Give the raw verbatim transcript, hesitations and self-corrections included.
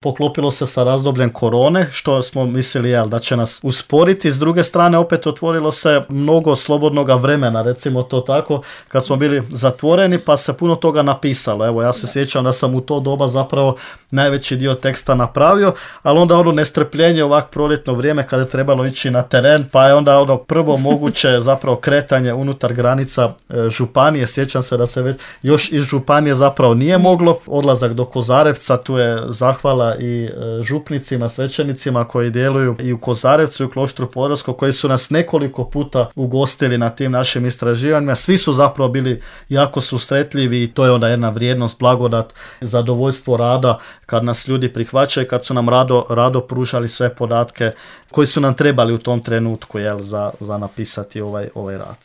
poklopilo se sa razdobljem korone, što smo mislili jel, da će nas usporiti. S druge strane, opet otvorilo se mnogo slobodnog vremena, recimo to tako, kad smo bili zatvoreni, pa se puno toga napisalo. Evo, ja se sjećam da sam u to doba zapravo najveći dio teksta napravio, ali onda ono nestrpljenje ovak proljetno vrijeme kada je trebalo ići na teren, pa je onda ono prvo moguće zapravo kretanje unutar granica e, županije. Sjećam se da se već još iz županije zapravo nije moglo. Odlazak do Kozarevca, tu je zahvala i e, župnicima, svećenicima koji djeluju i u Kozarevcu i u Kloštru Podravskom, koji su nas nekoliko puta ugostili na tim našim istraživanjima. Svi su zapravo bili jako susretljivi i to je onda jedna vrijednost, blagodat, zadovoljstvo rada kad nas ljudi prihvaćaju, kad su nam rado, rado pružali sve podatke koji su nam trebali u tom trenutku jel, za, za napisati ovaj, ovaj rad.